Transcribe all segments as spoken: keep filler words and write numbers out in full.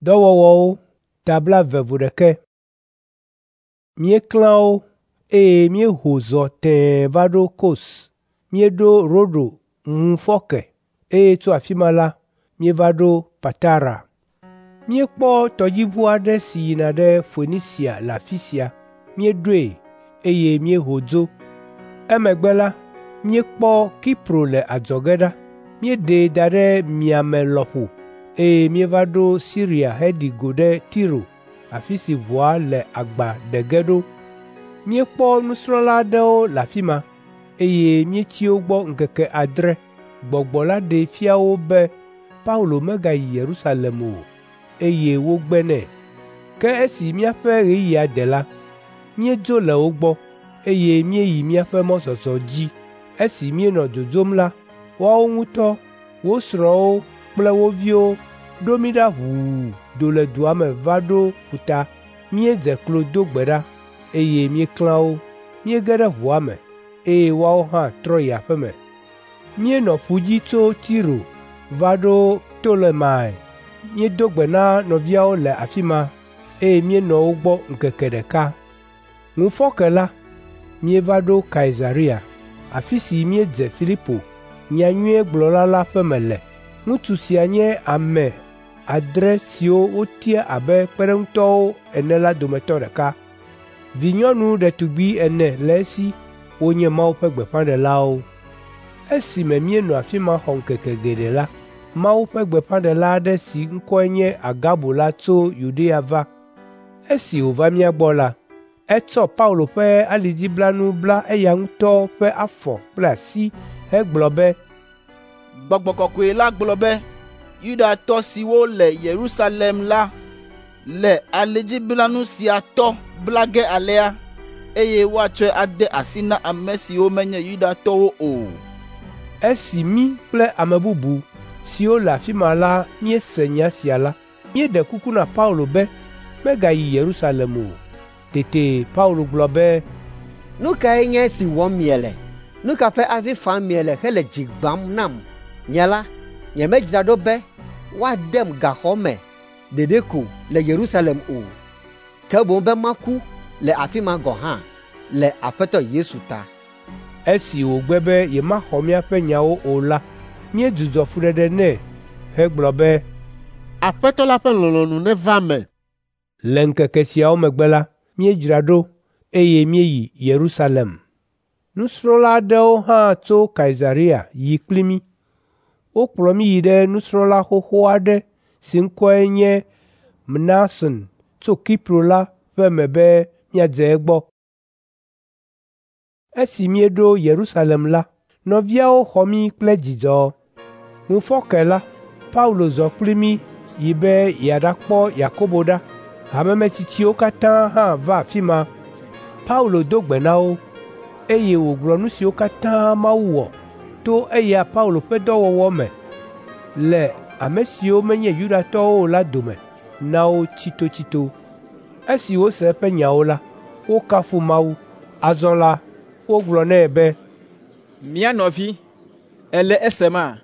Dɔwɔwɔwo ta blaeve vo ɖeke. Míeklã wo, eye míeho zɔ tẽe va ɖo Kos. Míeɖo Rodo ŋufɔke, eye tso afi ma la, míeva ɖo Patara. Míekpɔ tɔdziʋu aɖe si yina ɖe Foenisia le afi sia. Míeɖoe, eye míeho dzo. Emegbe la, míekpɔ Kipro le adzɔge ɖa. Míeɖee da ɖe miame lɔƒo, eye míeva ɖo Siria heɖi go ɖe Tiro, afi si ʋua le agba ɖe ge ɖo. Míekpɔ nusrɔ̃la aɖewo le afi ma, eye míetsi wo gbɔ ŋkeke adre. Gbɔgbɔ la ɖee fia wo be Paulo megayi Yerusalem o, eye wogbe nɛ. Ke esi míaƒe ɣeyiɣia de la, míedzo le wo gbɔ, eye míeyi míaƒe mɔzɔzɔ dzi. Esi míenɔ dzodzom la, woawo ŋutɔ, wo srɔ̃wo kple wo viwo ɖo mí ɖa ʋuu do le dua me va ɖo ƒuta. Míedze klo do gbe ɖa, eye míeklã wo. Míege ɖe ʋua me, eye woawo hã trɔ yi aƒe me. Míenɔ ƒu dzi tso Tiro va ɖo Ptolemai. Míedo gbe na nɔviawo le afi ma, eye míenɔ wo gbɔ ŋkeke ɖeka. Ŋufɔke la, míeva ɖo Kaisarea, afi si míedze Filipo, nyanyuigblɔla la ƒe me le. Ŋutsu sia nye ame adre siwo wotia abe kpeɖeŋutɔwo ene la dometɔ ɖeka. Vinyɔnu ɖetugbi ene le esi wonye Mawu ƒe gbeƒãɖelawo. Esime míenɔ afi ma xɔ ŋkeke geɖe la, Mawu ƒe gbeƒãɖela aɖe si ŋkɔe nye Agabo la tso Yudea va. Esi wòva mía gbɔ la, etsɔ Paulo ƒe alidziblanu bla eya ŋutɔ ƒe afɔ kple asi hegblɔ be, Gbɔgbɔ kɔkɔe la gblɔ be Yudatɔ siwo le Yerusalem la le alidziblanu sia tɔ bla ge alea, eye woatsɔe ade asi na ame siwo menye Yudatɔwo o. Esi mí kple ame bubu siwo le afi ma la míese nya sia la, míeɖe kuku na Paulo be megayi Yerusalem o. Tete Paulo gblɔ be, Nu kae nye esi wɔm miele? Nu ka ƒe avi fam miele hele dzi gbãm nam? Nye la, nyemedzra ɖo be woadem gaxɔ me ɖeɖe ko le Yerusalem o, ke boŋ be maku le afi ma gɔ̃ hã le Aƒetɔ Yesu ta. Esi wògbe be yemaxɔ míaƒe nyawo o la, míedzudzɔ fuɖeɖe nɛ hegblɔ be, Aƒetɔ la ƒe lɔlɔ̃nu neva eme. Le ŋkeke siawo megbe la, míedzra ɖo, eye míeyi Yerusalem. Nusrɔ̃la aɖewo hã tso Kaisarea yi kpli mí. Wokplɔ mí yi ɖe nusrɔ̃la xoxo aɖe si ŋkɔe nye Mnason tso Kipro la ƒe me be míadze egbɔ. Esi míeɖo Yerusalem la, nɔviawo xɔ mí kple dzidzɔ. Ŋufɔke la, Paulo zɔ kpli mí yi be yeaɖakpɔ Yakobo ɖa. Hamemetsitsiwo katã hã va afi ma. Paulo do gbe na wo, eye wògblɔ nu siwo katã Mawu wɔ to eya Paulo ƒe dɔwɔwɔ me le ame siwo menye Yudatɔwo o la dome na wo tsitotsito. Esi wose eƒe nyawo la, wokafu Mawu. Azɔ la, wogblɔ nɛ be, Mía nɔvi, èle esema?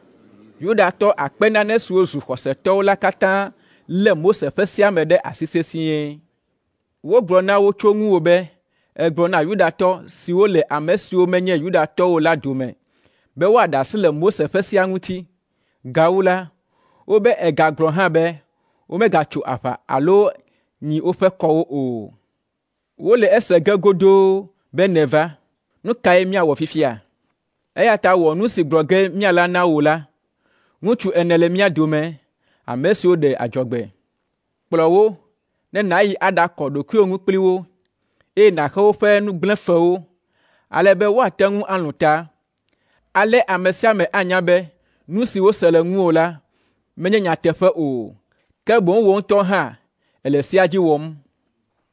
Yudatɔ akpe nane siwo zu xɔsetɔwo la katã lé Mose ƒe sea me ɖe asi sesĩe. Wogblɔ na wo tso ŋuwò be ègblɔ na Yudatɔ siwo le ame siwo menye Yudatɔwo la dome be woaɖe asi le Mose ƒe sea ŋuti. Gawu la, wobe ègagblɔ hã be womegatso aʋa alo nyi woƒe kɔwo o. Wole ese ge godoo be nèva. Nu kae míawɔ fifia? Eya ta wɔ nu si gblɔ ge míala na wò la. Ŋutsu ene le mía dome, ame siwo ɖe adzɔgbe. Kplɔ wo ne nàyi aɖakɔ ɖokuiwò ŋu kpli wo, eye nàxe woƒe nugblẽfewo, ale be woate ŋu alũ ta. Ale ame sia ame anya be nu si wose le ŋuwò la menye nyateƒe o, ke boŋ wò ŋutɔ hã èle sea dzi wɔm.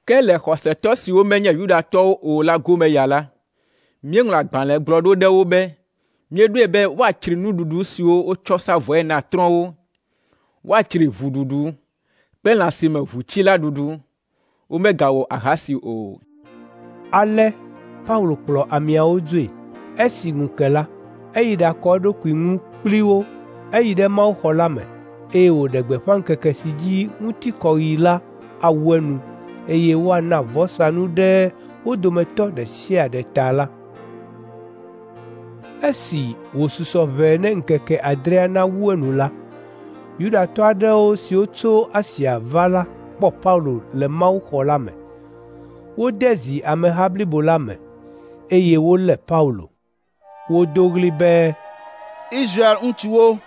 Ke le xɔsetɔ siwo menye Yudatɔwo o la gome ya la, míeŋlɔ agbalẽ gblɔ ɖo ɖe wo be míeɖoe be woatsri nuɖuɖu siwo wotsɔ sa vɔ̃e na trɔ̃wo, woatsri ʋuɖuɖu kple lã si me ʋu tsi la ɖuɖu. Womegawɔ ahasi o. Ale Paulo kplɔ ameawo dzoe. Esi ŋu ke la, eyi ɖakɔ eɖokui ŋu kpli wo. Eyi ɖe mawuxɔ la me, eye wòɖe gbeƒã ŋkeke si dzi ŋutikɔɣi la awu enu, eye woana vɔsanu ɖe wo dometɔ ɖe sia ɖe ta la. Esi wòsusɔ ʋɛ ne ŋkeke adrea nawu enu la, Yudatɔ aɖewo siwo tso Asia va la kpɔ Paulo le mawuxɔ la me. Wode zi ameha blibo la me, eye wolé Paulo. Wodo ɣli be, Israel ŋutsuwo,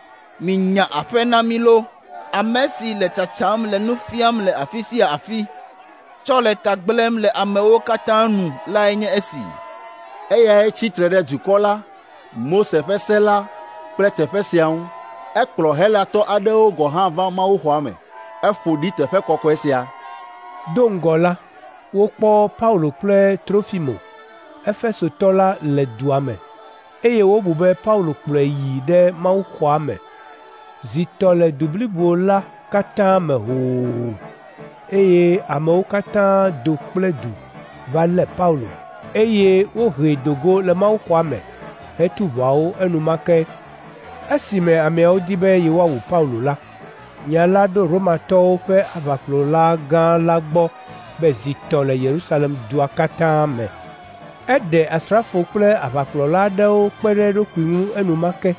minya aƒe na mí loo! Ame si le tsatsam le nu fiam le afi sia afi, tsɔ le ta gblẽm le amewo katã nu lae nye esi. Eyae tsi tre ɖe dukɔ la, Mose ƒe se la kple teƒe sia ŋu. Ekplɔ Helatɔ aɖewo gɔ̃ hã va mawuxɔa me. Eƒo ɖi teƒe kɔkɔe sia. Do ŋgɔ la, wokpɔ Paulo kple Trofimo, Efesotɔ la le dua me, eye wobu be Paulo kplɔe yi ɖe mawuxɔa me. Zi tɔ le du blibo la katã me hoo, eye amewo katã do kple du va lé Paulo, eye wohee do go le mawuxɔa me hetu ʋɔawo enumake. Esime ameawo di be yewoawu Paulo la, nya la ɖo Romatɔwo ƒe aʋakplɔla gã la gbɔ be zi tɔ le Yerusalem dua katã me. Eɖe asrafo kple aʋakplɔla aɖewo kpe ɖe eɖokui ŋu enumake,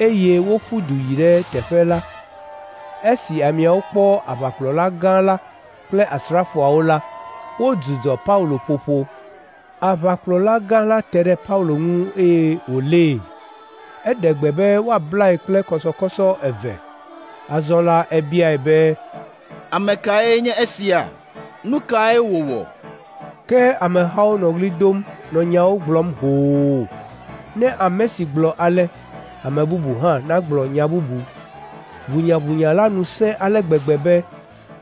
eye woƒu du yi ɖe teƒe la. Esi ameawo kpɔ aʋakplɔla gã la kple asrafoawo la, wodzudzɔ Paulo ƒoƒo. Aʋakplɔla gã la te ɖe Paulo ŋu eye wòlée. Eɖe gbe be woablae kple kɔsɔkɔsɔ eve. Azɔ la ebiae be, Ame kae nye esia? Nu kae wòwɔ? Ke amehawo nɔ ɣli dom nɔ nyawo gblɔm hoo. Ne ame si gblɔ ale, ame bubu hã nagblɔ nya bubu. Ʋunyaʋunya la nu sẽ ale gbegbe be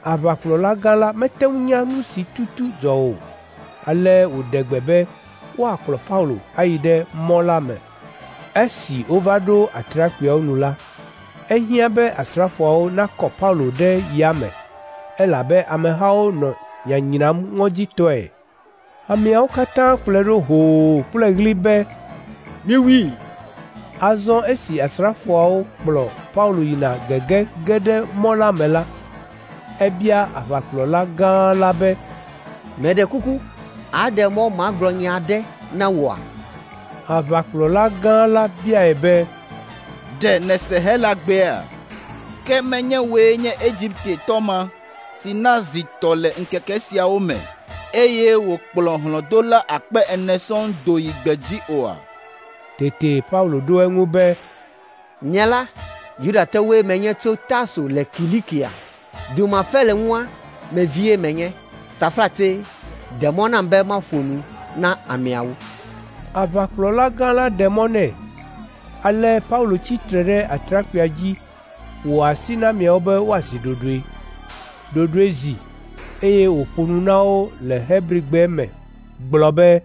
aʋakplɔla gã la mete ŋu nya nu si tutu dzɔ o. Ale wòɖe gbe be woakplɔ Paulo ayi ɖe mɔ la me. Esi wova ɖo atrakpuiawo nu la, ehiã be asrafoawo nakɔ Paulo ɖe yame, elabe amehawo nɔ nyanyram ŋɔdzitɔe. Ameawo katã kplɔe ɖo hoo kple ɣli be, Miwui! Azɔ esi asrafoawo kplɔ Paulo yina gege ge ɖe mɔ la me la, ebia aʋakplɔla gã la be, Meɖe kuku, aɖe mɔ magblɔ nya aɖe na wòa? Aʋakplɔla gã la biae be, Ɖe nèse Helagbea? Ke menye wòe nye Egiptetɔ ma si na zi tɔ le ŋkeke siawo me, eye wòkplɔ hlɔ̃dola akpe ene sɔŋ do yi gbedzi oa? Tete Paulo ɖo eŋu be, Nye la, Yudatɔwoe menye tso Tarso le Kilikia. Du ma fe le ŋua me vie menye. Taflatse, ɖe mɔ nam be maƒo nu na ameawo. Aʋakplɔla gã la ɖe mɔ nɛ. Ale Paulo tsi tre ɖe atrakpuia dzi wɔ asi na ameawo be woazi ɖoɖoe. Ɖoɖoe zi, eye wòƒo nu na wo le Hebrigbe me gblɔ be,